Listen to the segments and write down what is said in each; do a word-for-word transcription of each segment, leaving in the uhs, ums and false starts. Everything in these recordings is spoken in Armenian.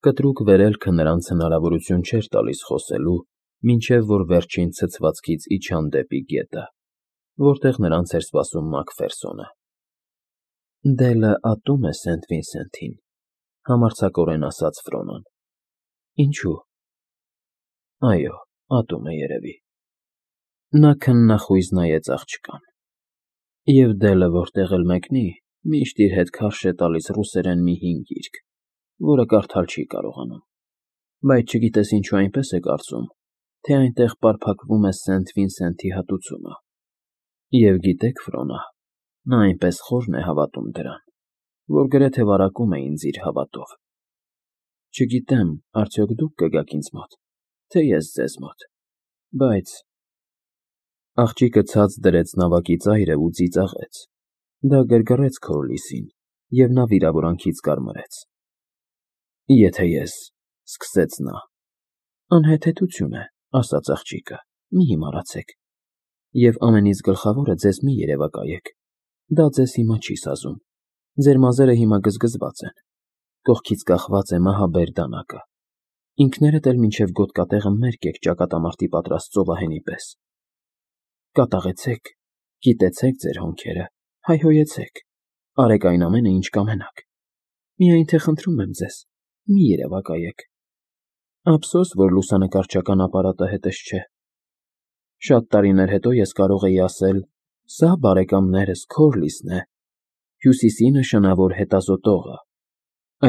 Կտրուկ վերելքը նրանց հնարավորություն չէր տալիս խոսելու, մինչև որ վերջին ցցվածքից իջան դեպի գետը, որտեղ նրանց էր սպասում Մակֆերսոնը։ ֊ Դելը ատում է Սենթ Վինսենթին,֊ համարձակորեն ասաց Ֆրոնոն։ ֊ Ինչո՞ւ։ ֊ Այո, ատում է, երևի։ Նա քննախույզ նայեց աղջկան։ Եվ Դելը որտեղ էլ մեկնի, միշտ իր հետ քարշ է տալիս ռուսերեն մի հին գիրք, որը կարդալ չի կարողանում, բայց չգիտես ինչու այնպես է կարծում, թե այնտեղ պարփակվում է Սենթ Վինսենթի հատուցումը։ Եվ գիտեք, Ֆրոնա, նա այնպես խորն է հավատում դրան, որ գրեթե վարակում է ինձ իր հավատով։ Չգիտեմ, արդյոք դուք կգաք ինձ մոտ, թե ես ձեզ մոտ, բայց… Աղջիկը ցած դրեց նավակի ծայրը ու ծիծաղեց։ Դա գրգռեց Քորլիսին, և նա վիրավորանքից կարմրեց։ ֊ Եթե ես…֊ սկսեց նա։ ֊ Անհեթեթություն է,֊ ասաց աղջիկը,֊ մի հիմարացեք։ Եվ ամենից գլխավորը ձեզ մի երևակայեք. դա ձեզ հիմա չի սազում, ձեր մազերը հիմա գզգզված են, կողքից կախված է մահաբեր դանակը, ինքներդ էլ մինչև գոտկատեղը մերկ եք ճակատամարտի պատրաստ ծովահենի պես։ Կատաղեցեք, կիտեցեք ձեր հոնքերը, հայհոյեցեք, արեք այն ամենը, ինչ կամենաք, միայն թե խնդրում եմ ձեզ, մի երևակայեք։ Ափսոս, որ լուսանկարչական ապարատը հետս չէ։ Շատ տարիներ հետո ես կարող էի ասել. «Սա, բարեկամներս, Քորլիսն է, Հյուսիսի նշանավոր հետազոտողը»։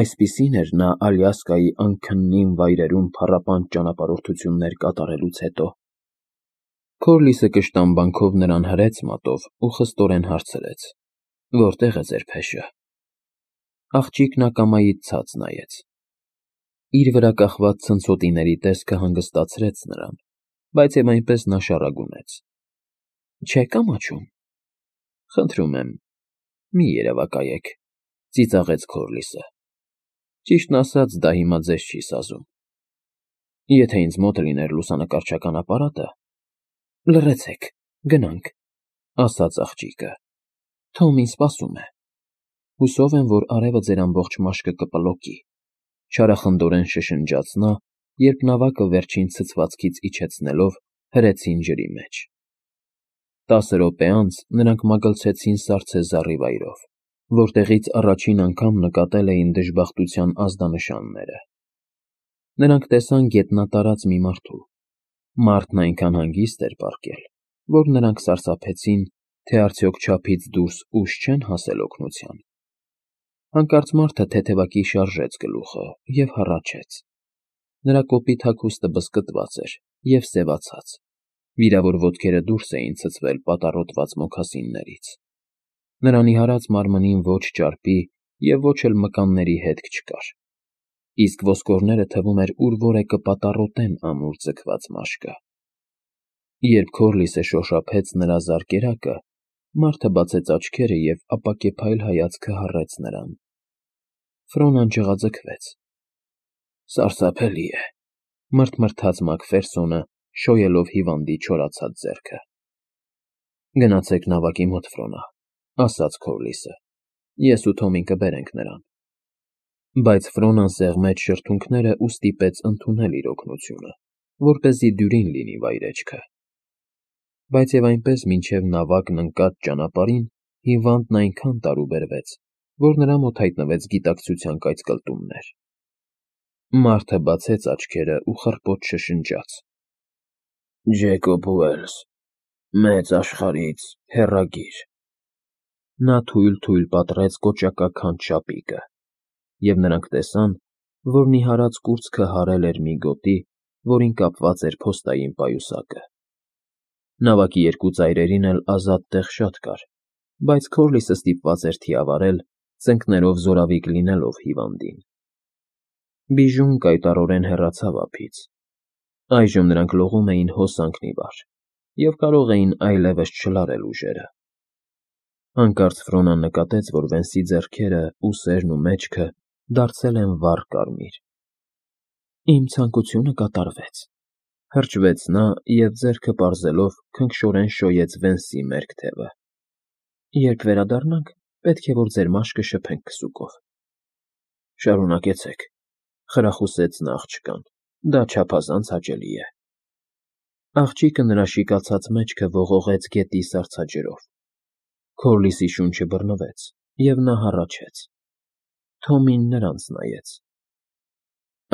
Այսպիսին էր նա Ալյասկայի անքննին վայրերում փառապանծ ճանապարհորդություններ կատարելուց հետո։ Քորլիսը կշտամբանքով նրան հրեց մատով ու խստորեն հարցրեց. «Որտե՞ղ է ձեր փեշը»։ Աղջիկն ակամայից ցած նայեց։ Իր վրա կախված ցնցոտիների տեսքը հանգստացրեց նրան, բայց և այնպես նա շառագունեց. «Չե՞ք ամաչում»։ ֊ Խնդրում եմ, մի երևակայեք,֊ ծիծաղեց Քորլիսը։ Ճիշտն ասած, դա հիմա ձեզ չի սազում։ Եթե ինձ մոտ լիներ լուսանկարչական ապարատը… Լռեցեք, գնանք,֊ ասաց աղջիկը։ Թոմին սպասում է։ Հուսով եմ, որ արևը ձեր ամբողջ մաշկը կպլոկի,֊ չարախնդորեն շշնջաց նա, երբ նավակը վերջին ցցվածքից իջեցնելով հրեցին ջրի մեջ։ Տասը րոպե անց նրանք մագլցեցին սառցե զառիվայրով, որտեղից առաջին անգամ նկատել էին դժբախտության ազդանշանները։ Նրանք տեսան գետնատարած մի մարդու։ Մարդն այնքան հանգիստ էր պառկել, որ նրանք սարսափեցին, թե արդյոք չափից դուրս ուժ չեն հասել օգնության։ Հանկարծ մարդը թեթևակի շարժեց գլուխը և հառաչեց։ Նրա կոպիտ հագուստը բզկտված էր և սևացած, վիրավոր ոտքերը դուրս էին ցցվել պատառոտված մոքասիններից։ Նրա նիհարած մարմնին ոչ ճարպի և ոչ էլ մկանների հետք չկար, իսկ ոսկորները թվում էր ուր որ է կպատառոտեն ամուր ձգված մաշկը։ Երբ Քորլիսը շոշափեց նրա զարկերակը, մարդը բացեց աչքերը և ապակեպայլ հայացքը հառեց նրան։ Ֆրոնան ջղաձգվեց։ Սարսափելի է,֊ մռթմռթաց Մակֆերսոնը, շոյելով հիվանդի չորացած ձեռքը։ Գնացեք նավակի մոտ, Ֆրոնա,֊ ասաց Քորլիսը։ Ես ու Թոմին կբերենք նրան։ Բայց Ֆրոնան սեղմեց շրթունքները ու ստիպեց ընդունել իր օգնությունը, որպեսզի դյուրին լինի վայրեջքը։ Բայց և այնպես մինչև նավակն ընկած ճանապարհին հիվանդն այնքան տարուբերվեց, որ նրա մոտ հայտնվեց գիտակցության կայծկլտումներ։ Մարդը բացեց աչքերը ու խռպոտ շշնջաց. «Ջեյկոբ Ուելս, մեծ աշխարհից հեռագիր»։ Նա թույլ֊թույլ պատռեց կոճակաքանդ շապիկը, և նրանք տեսան, որ նիհարած կուրծքը հարել էր մի գոտի, որին կապված էր փոստային պայուսակը։ Նավակի երկու ծայրերին էլ ազատ տեղ շատ կար, բայց Քորլիսը ստիպված էր թիավարել, ծնկներով զորավիկ լինելով հիվանդին։ Բիժուն կայտառորեն հեռացավ ափից։ Այժմ նրանք լողում էին հոսանքն ի վար և կարող էին այլևս չլարել ուժերը։ Հանկարծ Ֆրոնան նկատեց, որ Վենսի ձեռքերը, ուսերն ու մեջքը դարձել են վառ կարմիր։ Իմ ցանկությունը կատարվեց,֊ հրճվեց նա և ձեռքը պարզելով քնքշորեն շոյեց Վենսի մերկ թևը։ Երբ վերադառնանք, պետք է որ ձեր մաշկը շփենք քսուկով։ Շարունակեցեք,֊ Խրախուսեց նա աղջկան։ Դա չափազանց հաճելի է։ Աղջիկը նրա շիկացած մեջքը ողողեց գետի սառցաջրով։ Քորլիսի շունչը բռնվեց, և նա հառաչեց։ Թոմին նրանց նայեց։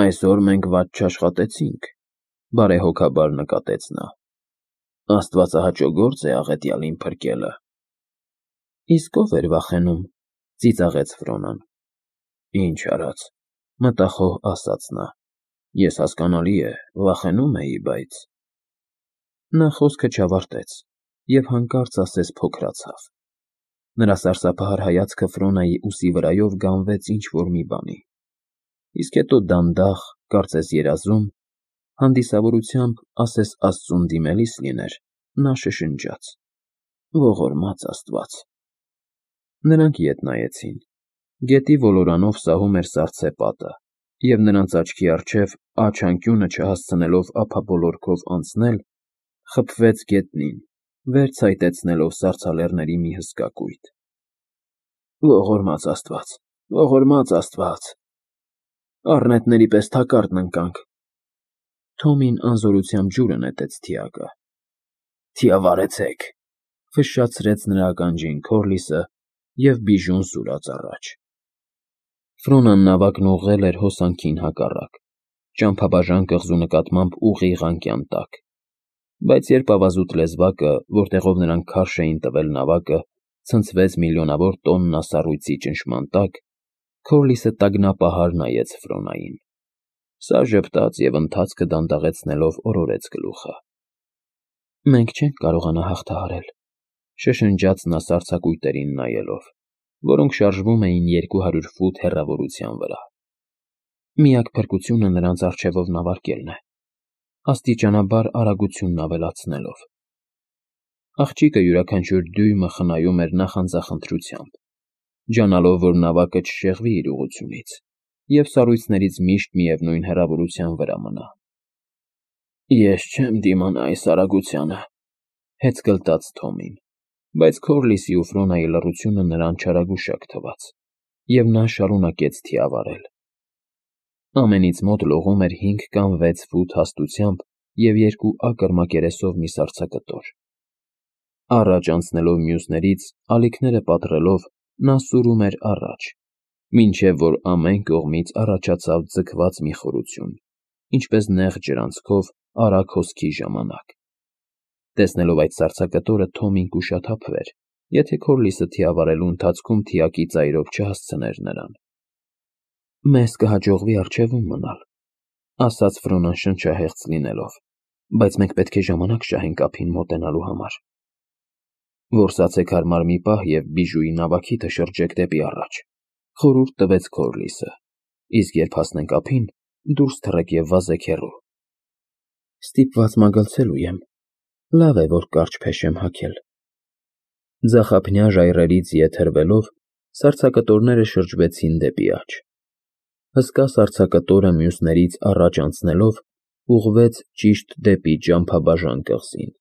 Այսօր մենք վատ չաշխատեցինք, բարեհոգաբար նկատեց նա։ Աստվածահաճո գործ է աղետյալին փրկելը։ Իսկ ով էր վախենում, ծիծաղեց Ֆրոնան։ Ինչ արած, մտախոհ ասաց նա։ Ես հասկանալի է, վախենում էի, բայց… Նա խոսքը չավարտեց և հանկարծ ասես փոքրացավ։ Նրա սարսափահար հայացքը Ֆրոնայի ուսի վրայով գանվեց ինչ-որ մի բանի, իսկ հետո դանդաղ, կարծես երազում, հանդիսավորությամբ, ասես աստծուն դիմելիս լիներ, նա շշնջաց. Ողորմած Աստված… Նրանք ետ նայեցին։ Գետի ոլորանով սահում էր սառցե պատը, և նրանց աչքի առջև, աջ անկյունը չհասցնելով ափաբոլորքով անցնել, խփվեց գետնին, վեր ցայտեցնելով սառցալեռների մի հսկա կույտ։ Ողորմած Աստված… Ողորմած Աստված… Առնետների պես թակարդն ընկանք… Թոմին անզորությամբ ջուրը նետեց թիակը։ Թիավարեցեք, ֆշշացրեց նրա ականջին Քորլիսը և բիժուն սուրաց առաջ։ Ֆրոնան նավակն ուղղել էր հոսանքին հակառակ, ճամփաբաժան կղզու նկատմամբ ուղիղ անկյան տակ, բայց երբ ավազուտ լեզվակը, որտեղով նրանք քարշ էին տվել նավակը, ցնցվեց միլիոնավոր տոննա սառույցի ճնշման տակ, Քորլիսը տագնապահար նայեց Ֆրոնային։ Սա ժպտաց և ընթացքը դանդաղեցնելով օրորեց գլուխը։ Մենք չենք կարողանա հաղթահարել, շշնջաց նա սառցակույտերին նայելով, որոնք շարժվում էին երկու հարյուր ֆուտ հեռավորության վրա։ Միակ փրկությունը նրանց առջևով նավարկելն է, աստիճանաբար արագությունն ավելացնելով։ Աղջիկը յուրաքանչյուր դյույմը խնայում էր նախանձախնդրությամբ, ջանալով, որ նավակը չշեղվի իր ուղղությունից, և սառույցներից միշտ միևնույն հեռավորության վրա մնա։ Ես չեմ դիմանա այս արագությանը, հեծկլտաց Թոմին, բայց Քորլիսի ու Ֆրոնայի լռությունը նրան չարագուշակ թվաց, և նա շարունակեց թիավարել։ Ամենից մոտ լողում էր հինգ կամ վեց ֆուտ հաստությամբ և երկու ակր մակերեսով մի սառցակտոր։ Առաջ անցնելով մյուսներից, ալիքները պատռելով, նա սուրում էր առաջ, մինչև որ ամեն կողմից առաջացավ ձգված մի խորություն, ինչպես նեղ ջրանցքով արագ հոսքի ժամանակ։ Տեսնելով այդ սառցակտորը Թոմին կուշաթափվեր, եթե Քորլիսը թիավարելու ընթացքում թիակի ծայրով չհասցներ նրան։ Մեզ կհաջողվի առջևում մնալ, ասաց Ֆրոնան շնչահեղձ լինելով, բայց մենք պետք է ժամանակ շահենք ափին մոտենալու համար։ Որսացեք հարմար մի պահ և բիժուի նավակիթը շրջեք դեպի առաջ, խորհուրդ տվեց Քորլիսը, իսկ երբ հասնենք ափին, դուրս թռեք և վազեք հեռու։ Ստիպված մագլցելու եմ, լավ է, որ կարճ փեշ եմ հագել։ Ձախափնյա ժայռերից ետ հրվելով, սառցակտորները շրջվեցին դեպի աջ։ Հսկա սառցակտորը մյուսներից առաջ անցնելով, ուղղվեց ճիշտ դեպի ճամփաբաժան կղզին։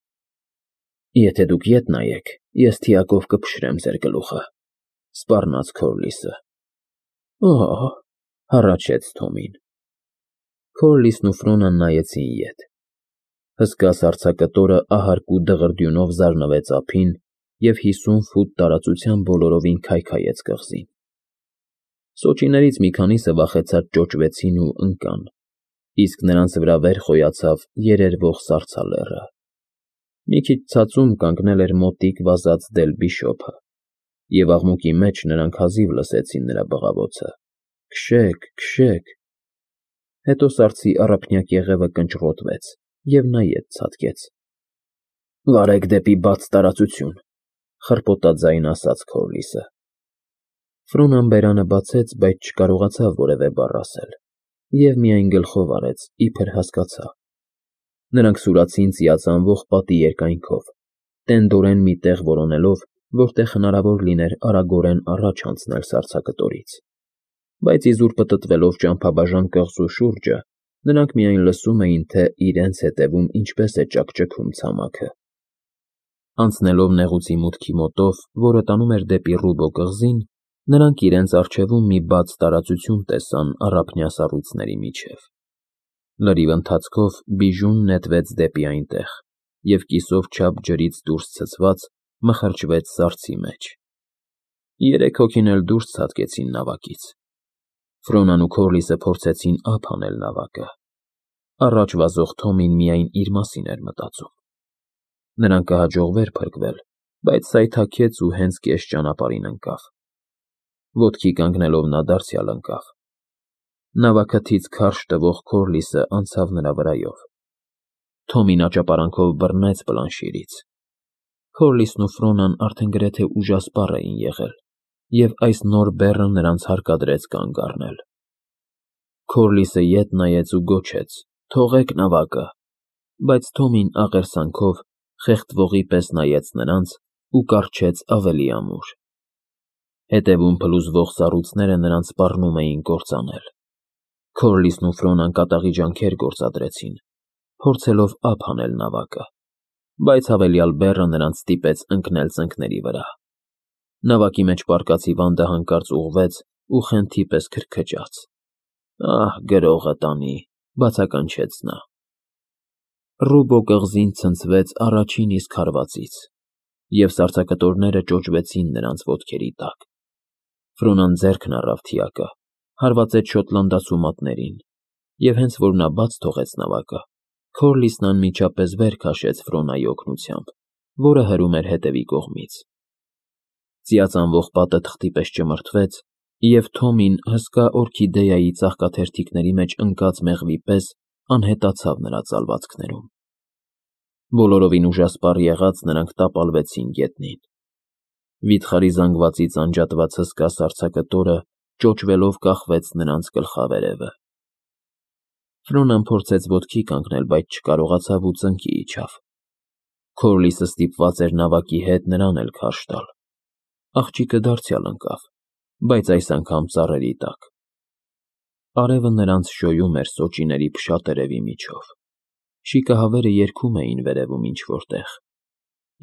Եթե դուք ետ նայեք, ես թիակով կփշրեմ ձեր գլուխը, սպառնաց Քորլիսը։ Օհ, հառաչեց Թոմին։ Քորլիսն ու Ֆրոնան նայեցին ետ։ Հսկա սառցակտորը ահարկու դղրդյունով զարնվեց ափին և հիսուն ֆուտ տարածությամբ բոլորովին քայքայեց կղզին։ Սոճիներից մի քանիսը վախեցած ճոճվեցին ու ընկան, իսկ նրանց վրա վեր խոյացավ երերվող սառցալեռը։ Մի քիչ ցածում կանգնել էր մոտիկ վազած Դել Բիշոփը, և աղմուկի մեջ նրանք հազիվ լսեցին նրա բղավոցը. Քշե՜ք, քշե՜ք… Հետո սառցի առափնյա կեղևը կնճռոտվեց, և նա ետ ցատկեց։ Վարեք դեպի բաց տարածություն, խռպոտաձայն ասաց Քորլիսը։ Ֆրոնան բերանը բացեց, բայց չկարողացավ որևէ բառ ասել, և միայն գլխով արեց, իբր հասկացա։ Նրանք սուրացին ծիածանվող պատի երկայնքով, տենդորեն մի տեղ որոնելով, որտեղ հնարավոր լիներ արագորեն առաջ անցնել սառցակտորից, բայց իզուր պտտվելով ճամփաբաժան կղզու շուրջը, նրանք միայն լսում էին, թե իրենց ետևում ինչպես է ճաքճքում ցամաքը։ Անցնելով նեղուցի մուտքի մոտով, որը տանում էր դեպի Ռուբո կղզին, Նրանք իրենց առջևում մի բաց տարածություն տեսան առափնյա սառույցների միջև։ Լրիվ ընթացքով Բիժուն նետվեց դեպի այնտեղ և կիսով չափ ջրից դուրս ցցված մխրճվեց սառցի մեջ։ Երեք հոգին էլ դուրս ցատկեցին նավակից։ Ֆրոնան ու Քորլիսը փորձեցին ափ հանել նավակը։ Առաջ վազող Թոմին միայն իր մասին էր մտածում։ Նրան կհաջողվեր փրկվել, բայց սայթաքեց ու հենց կես ճանապարհին ընկավ։ Ոտքի կանգնելով նա դարձյալ ընկավ։ Նավաքթից քարշ տվող Քորլիսը անցավ նրա վրայով։ Թոմին աճապարանքով բռնեց պլանշիրից։ Քորլիսն ու Ֆրոնան արդեն գրեթե ուժասպառ էին եղել, և այս նոր բեռը նրանց հարկադրեց կանգ առնել։ Քորլիսը ետ նայեց ու գոչեց. «Թողեք նավակը», բայց Թոմին աղերսանքով խեղդվողի պես նայեց նրանց ու կառչեց ավելի ամուր։ Հետևում փլուզվող սառույցները նրանց սպառնում էին կործանել։ Քորլիսն ու Ֆրոնան կատաղի ջանքեր գործադրեցին, փորձելով ափ հանել նավակը, բայց հավելյալ բեռը նրանց ստիպեց ընկնել ծնկների վրա։ Նավակի մեջ պառկած հիվանդը հանկարծ ուղղվեց ու խենթի պես քրքջաց։ «Ահ, գրողը տանի», բացականչեց նա։ Ռուբո կղզին ցնցվեց առաջին իսկ հարվածից, և սառցակտորները ճոճվեցին նրանց ոտքերի տակ։ Ֆրոնան ձեռքն առավ թիակը, հարվածեց շոտլանդացու մատներին, և հենց որ նա բաց թողեց նավակը, Քորլիսն անմիջապես վեր քաշեց Ֆրոնայի օգնությամբ, որը հրում էր հետևի կողմից։ Ծիածանվող պատը թղթի պես ճմրթվեց, և Թոմին հսկա օրքիդեայի ծաղկաթերթիկների մեջ ընկած մեղվի պես անհետացավ նրա ծալվածքներում։ Բոլորովին ուժասպառ եղած նրանք տապալվեցին գետնին։ Վիթխարի զանգվածից անջատված հսկա սառցակտորը ճոճվելով կախվեց նրանց գլխավերևը։ Ֆրոնան փորձեց ոտքի կանգնել, բայց չկարողացավ ու ծնկի իջավ։ Քորլիսը ստիպված էր նավակի հետ նրան էլ քարշ տալ։ Աղջիկը դարձյալ ընկավ, բայց այս անգամ ծառերի տակ։ Արևը նրանց շոյում էր սոճիների փշատերևի միջով։ Շիկահավերը երգում էին վերևում ինչ֊որ տեղ,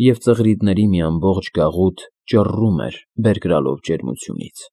և ծղրիդների մի ամբողջ գաղութ ճռռում էր բերկրալով ջերմությունից։